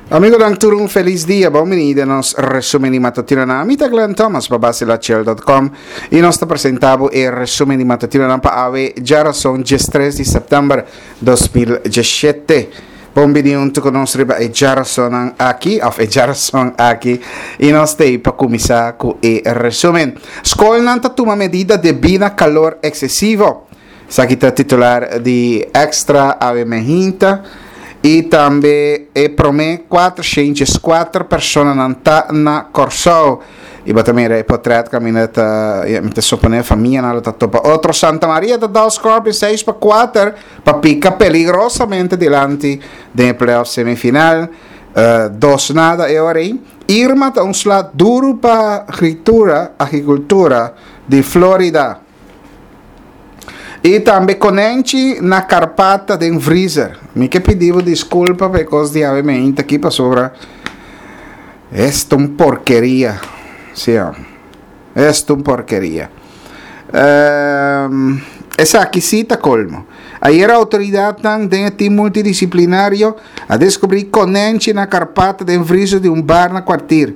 Amigonan tur un feliz dia, bon bini den nos resumen di matutinonan. Mi ta Glenn Thomas pa basilachel.com y nos ta presenta bo e resumen di matutinonan pa awe djarason 13 di september 2017. Bon bini hunto cu nos riba e djarasonnan aki, of e djarason aki, y nos t'ey pa cuminsa cu e resumen. Scolnan ta tuma medida debí na calor excesivo. Esaki ta titular di Extra awe mehinta y tambe e prome 404 personanan ta na Corsou. Y bo ta mira e potret caminda ta, ya, mi ta supone famianan lo ta topa otro. Santa Maria ta dal Scorpions 6-4 pa pica peligrosamente dilanti den e playoff semifinal. Dos nada e ora ei. Irma ta un sla duro pa agricultura di Florida. I tambe konenchi na karpata den vriezer. Mi ke pidi bo diskulpa pa e kos di awe meinta aki pasobra es ta un porkeria. Sí, es ta un porkeria. Um, esaki sí ta kolmo. Ayer outoridatnan den e tim multidisiplinario a deskubrí konenchi na karpata den vriezer di un bar na kwartier.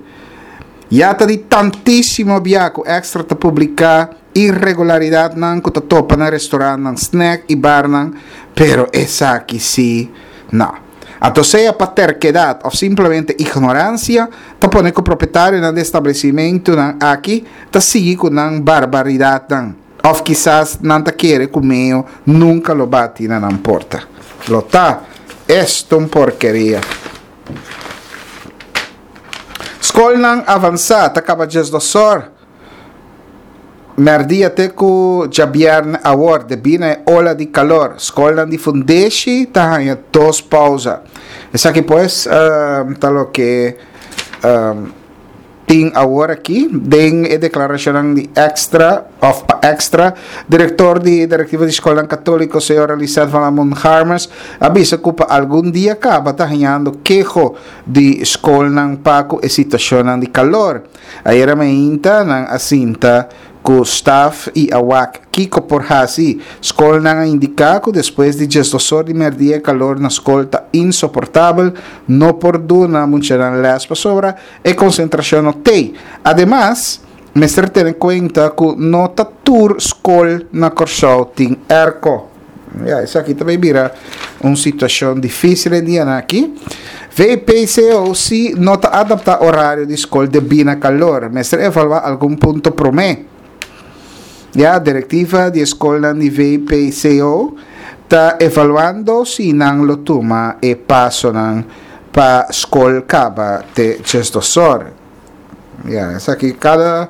Ya ta di tantísimo bia ku Extra ta publiká Irregularidatnan ku ta topa na restorantnan, snack i barnan, pero esaki sí no. Anto sea pa terkedat òf simplemente ignoransia ta pone ku propietarionan di establesimentunan aki ta sigui ku nan barbaridatnan. Òf kisas nan ta kere ku meo nunka lo bati na nan porta. Lo ta esto un porkeria. Skolnan avansá ta kaba djesdosor. Mèrdia te ku djabièrnè awor, debí na e ola di kalor, skolnan di fundeshi ta haña dos pousa. Esaki pues ta loke tin awor aki den e deklarashonnan di Extra òf pa Extra. Direktor di Direktiva di Skolnan Katóliko, señora Lisette van Lamont-Harmers, a bisa ku pa algun dia kaba ta hañando keho di skolnan pa ku e situashonnan di kalor. Ayera mainta nan a sinta ku staf i a wak kiko por hasi. Skolnan a indiká ku despues di diesdosor di mèrdia e kalor na skol ta insoportabel, no por duna muchanan lès pasobra e konsentrashon no t'ei. Ademas, mester tene kuenta ku no ta tur skol na Kòrsou tin èrko. Ya, esaki ta bay bira un situacion dificil e dianan aki. VPCO si no ta adapta horario di scol debí na calor. Mester evalua algun punto prome. Ya, directiva di e scolnan di VPCO ta evaluando si nan lo tuma e pasonan pa scol caba te djesdosor. Ya, esaki cada,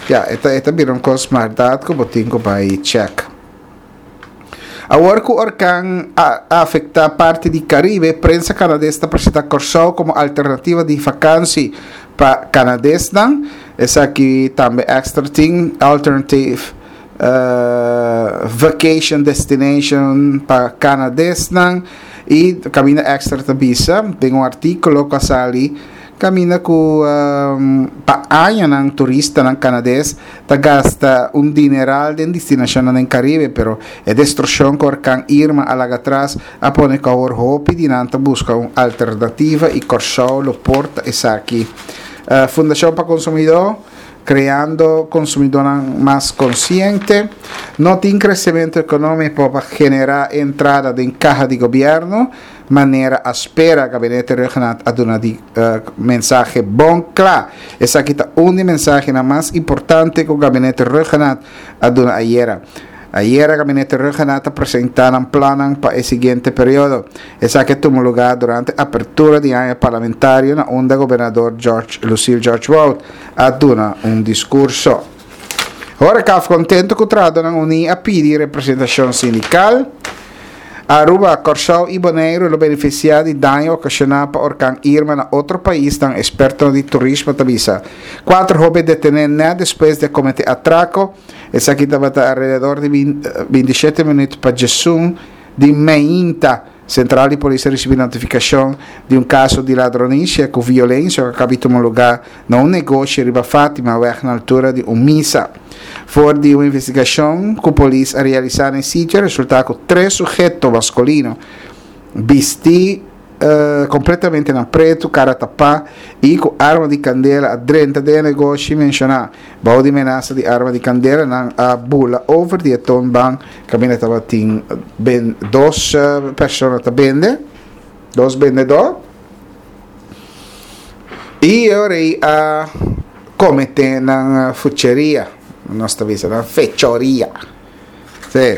ya, e ta, e ta bira un cos maldad cu bo tin cu bay check. Awor ku orkan a afektá parti di Karibe, prensa kanades ta presentá Kòrsou komo alternativa di fakansi pa kanadesnan. Esaki tambe Extra tin alternative vacation destination pa kanadesnan i kaminda Extra ta bisa den un artíkulo ku a sali kaminda ku pa añanan turistanan kanades ta gasta un dineral den destinashonnan den Karibe, pero e destrukshon ku orkan Irma a laga atras a pone ku awor hopi di nan ta buska un alternativa i Kòrsou lo por ta esaki. Fundashon pa Konsumidó, kreando konsumidónan mas konsiente. No tin kresementu ekonómiko pa generá entrada den kaha di gobièrnu. Manera a spera, Gabinete Rhuggenaath a duna di mensahe bon kla. Esaki ta un di mensahenan mas importante ku Gabinete Rhuggenaath a duna ayera. Ayera Gabinete Rhuggenaath a presentá nan plannan pa e siguiente periodo. Esaki a tuma lugá durante apertura di aña parlamentario na unda Gobernador George Lucille George Wout a duna un diskurso. Horecaf kontento ku trahadónan uní a pidi representashon sindikal. Aruba, Kòrsou i Boneiru lo benefisiá di daño okashoná pa orkan Irma na otro paisnan, ekspertonan di turismo ta bisa. Kuater hóben detené nèt despues di a kometé atrako. Esaki tabata alrededor di bintishete minüt pa djesun di meinta. Sentral di polis a risibí notifikashon di un kaso di ladronisia ku violensia ku a kabi tuma lugá na un negoshi riba Fatimaweg na altura di un misa. For di un investigashon ku polis a realisá na e sitio a resultá ku tres suheto maskulino bistí. kompletamente na pretu, kara tapá i ku arma di kandela a drenta den e negoshi menshoná. Bou di menasa di arma di kandela nan a bula over di e toonbank kaminda tabatin dos persona ta bende, dos bendedó. I e ora ei a kometé nan fucheria, nos ta bisa nan fechoria. Sí.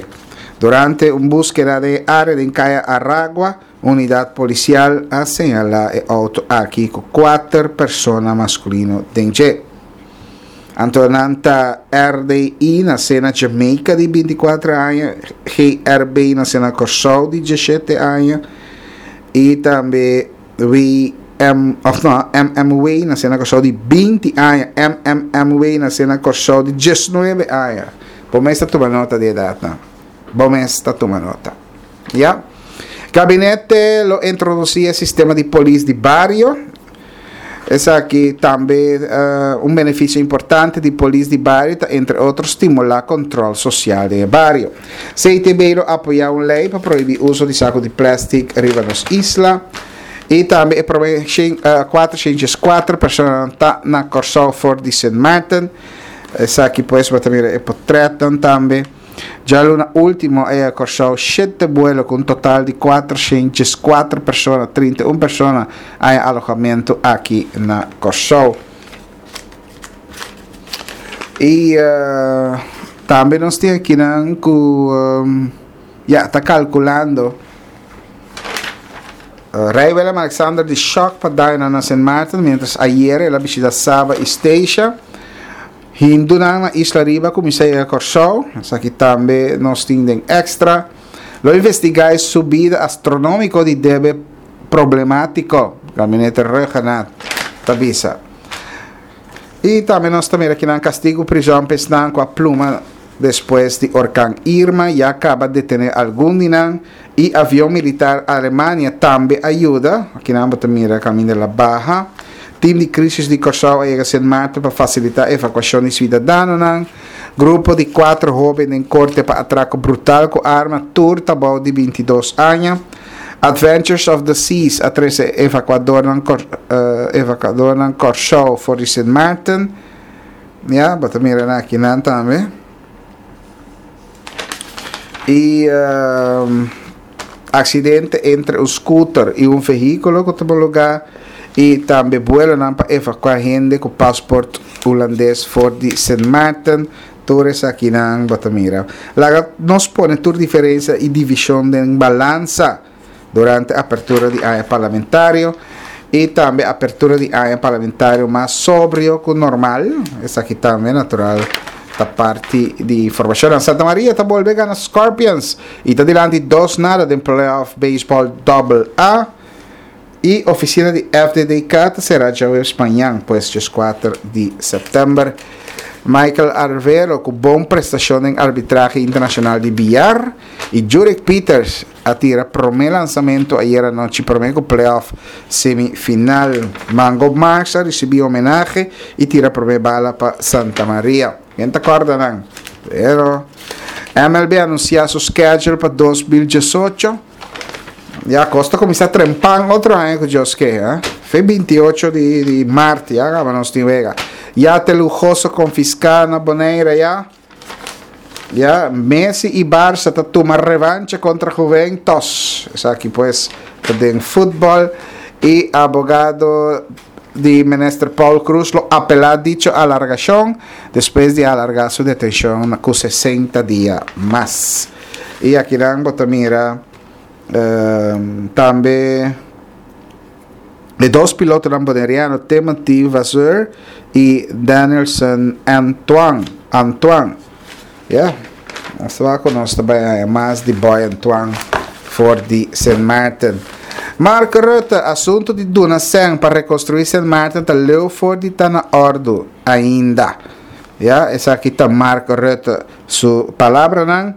Durante un búskeda den e área den Kaya Aragua, unidat polisial a señalá e outo aki ku kuater persona maskulino den dje. Anto nan ta RDI nasé na Jamaica di 24 aña, GRB nasé na Kòrsou di 17 aña i tambe WM, of no, MMW nasé na Kòrsou di 20 aña, MMMW nasé na Kòrsou di 19 aña. Bo mes ta tuma nota di edatnan. Bo mes ta tuma nota. Ya. Gabinete lo introdusí e sistema di polis di bario. Esaki tambe un benefisio importante di polis di bario ta entre otro stimulá kontrol sosial den e bario. CTB lo apoyá un lei pa prohibí uso di saku di plèstik riba nos isla. I tambe e promé 404 personanan ta na Kòrsou for di Sint Maarten. Esaki pues bo ta mira e potretnan tambe. Djaluna ultimo a yega Kòrsou shete buelo ku un total di 404 persona, 31 persona a haña alohamentu aki na Kòrsou. I tambe nos tin akinan ku ya ta kalkulando Rei Willem Alexander di shòk pa dañonan na Sint Maarten miéntras ayera el a bishita Saba i Statia. Hindunan na Isla Riba kuminsá yega Kòrsou, esaki tambe nos tin den Extra. Lo investigá e subida astronómiko di debe problemátiko, Gabinete Rhuggenaath ta bisa. I tambe nos ta mira kinan kastigu prizòn pa esnan ku a pluma despues di orkan Irma, ya kaba detené algun di nan. I avion militar Alemania tambe a yuda. Akinan bo ta mira kaminda el a baha. Tim di krisis di Kòrsou a yega Sint Maarten pa fasilitá evakuashon di suidadanonan. Grupo di kuater hóben den korte pa atrako brutal ku arma, tur ta bou di 22 aña. Adventures of the Seas a trese evakuadornan evakuadornan Kòrsou for di Sint Maarten. Ya, bo ta mira nan akinan tambe. Y accidente entre un scooter y un vehiculo cu tuma lugar y tambe buelonan pa evacua hende cu paspoort Hulandes for di Sint Maarten. Tur esakinan bo ta mira. Laga nos pone tur diferencia y division den balansa durante apertura di aña parlamentario y tambe apertura di aña parlamentario mas sobrio cu normal. Esaki tambe natural ta parti di informacionnan. Santa Maria ta bolbe gana Scorpions y ta dilanti dos nada den playoff baseball double A. Y oficina di FDDK ta cera djaweps mañan, pues djeskuater di september. Michael Arvelo cu bon prestacion den arbitrahe internacional di billar y Jurek Pieters a tira prome lansamento ayera nochi prome cu playoff semifinal. Mango Marks a ricibi homenahe y tira prome bala pa Santa Maria. Ken ta corda nan? Pero MLB anuncia su schedule pa 2018. Ya cos ta cuminsa trempan otro aña cu Dios ke, eh. Fe 28 di, di maart ya caba nos tin wega. Yate lujoso confisca na Bonaire ya. Ya, Messi y Barça ta tuma revancha contra Juventus. Esaki pues ta den futbol. Y abogado di minister Paul Croes lo apela dicho alargacion despues di alarga su detencion cu 60 dia mas. Y akinan bo ta mira tambe e dos pilotonan boneriano Timothy Vasseur y Danielson Antoine. Antoine. Ya, nos ta wak ku nos ta bai haña mas di Boy Antoine for di Sint Maarten. Mark Rutte, asuntu di duna sèn pa rekonstruí Sint Maarten ta leu for di ta na òrdu ainda. Ya, esaki ta Mark Rutte su palabranan.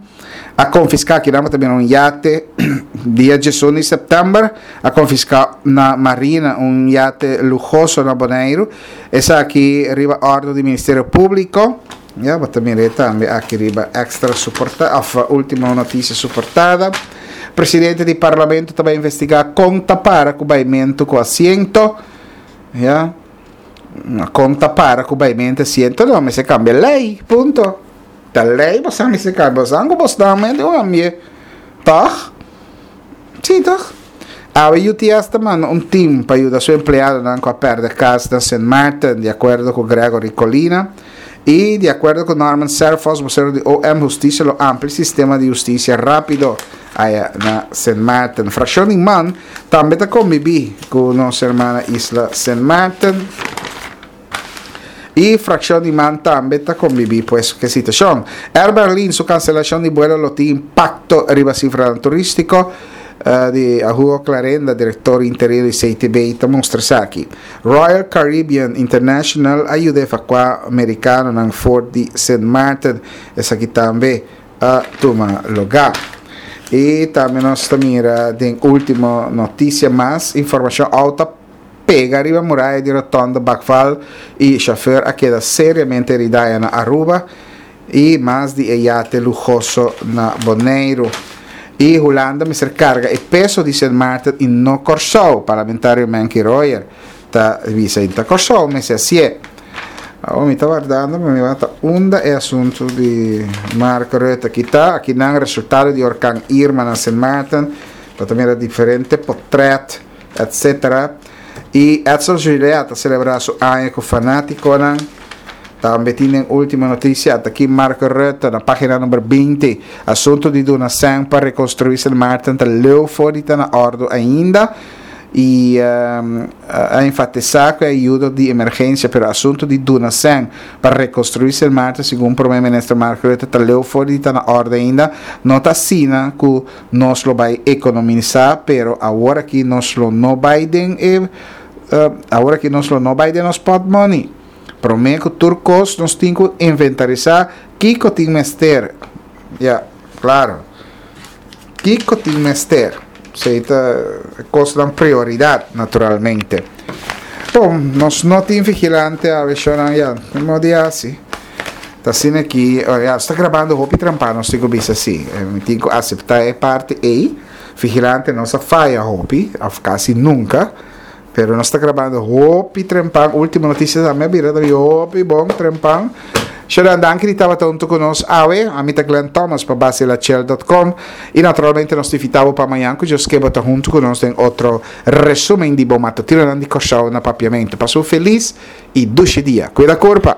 A konfiská, kinan bo ta mira un yate dia diesun di sèptèmber, a konfiská na Marina un yate luhoso na Boneiru. Esaki riba òrdu di Ministerio Públiko. Ya, bo ta mir'é tambe aki riba Extra su porta, òf Ultimo Noticia su portada. Presidente di Parlamento ta bai investiga con ta para cu baimento cu asiento. Ya. Con ta para cu baimento asiento no mester cambia ley. Punto. Ta ley bosan mester cambia. Bosan cu bosnan men di un ambie. Toch? Sí, toch? Awe UTS ta manda un team pa yuda su empleadonan cu a perde cas na Sint Maarten, di acuerdo cu Gregory Colina. Y, di acuerdo cu Norman Serphos, vocero di OM, Husticia lo amplia sistema di husticia rapido aya na Sint Maarten. Fraccion di man tambe ta conbibi cu nos hermana isla Sint Maarten. Y fraccion di man tambe ta conbibi pues cu e situacion. Air Berlin su cancelacion di vuelo lo tin impacto riba cifranan turistico, di Hugo Clarenda, director interino di CTB, ta mustra esaki. Royal Caribbean International a yuda evacua mericanonan for di Sint Maarten, esaki tambe a tuma lugar. Y tambe nos ta mira den ultimo noticia mas informacion auto pega riba muraya di rotonda Bakval y chauffeur a keda seriamente herida na Aruba y mas di e yate luhoso na Boneiru. Y Hulanda mester carga e peso di Sint Maarten y no Corsou, parlamentario Menke Royer ta bisa. Y ta Corsou mester hacié. Awor mi ta wardando pa mi wak ta unda e asunto di Mark Rutte aki ta. Aki nan resultado di orkan Irma na Sint Maarten. Bo ta mira diferente potret etc. Y Edsel Gillette a celebra su aña cu fanaticonan. Tambe tin den ultimo noticia ata aki Mark Rutte na pagina number 20. Asunto di duna sèn pa reconstrui Sint Maarten ta leu for di ta na ordo ainda. Y a enfatisa cu e ayudo di emergencia pero asunto di duna sèn pa reconstrui Sint Maarten segun Prome Minister Mark Rutte ta leu for di ta na orde ainda. No ta asina cu Nos lo bai ekonomisá, pero awor aki nos lo no bai den e awor aki nos lo no bai den nos pòtmòni. Promé ku tur kos nos tin ku inventarisá kiko tin mester. Ya, klaro. Kiko tin mester. Esei ta kosnan prioridat, naturalmente. Bon, nos no tin vigilante awe, shownan, ya, no modo di hasi. Ta asina aki, ya, nos ta grabando hopi trampa, nos tin ku bisa si. Mi tin ku aseptá e parti ei. Vigilante nos a faya hopi, òf kasi nunka, pero nos ta grabando hopi trempan. Ultimo Noticias tambe a bira tambe hopi bon trempan. Shownan, danki di tabata huntu ku nos awe. Ami ta Glenn Thomas pa Basilachel dot com i naturalmente nos ta invitá bo pa mañan ku Dios ke bo ta huntu ku nos den otro resumen di bo matutinonan di Kòrsou na Papiamentu. Pasa un felis i dushi dia. Kuida kurpa!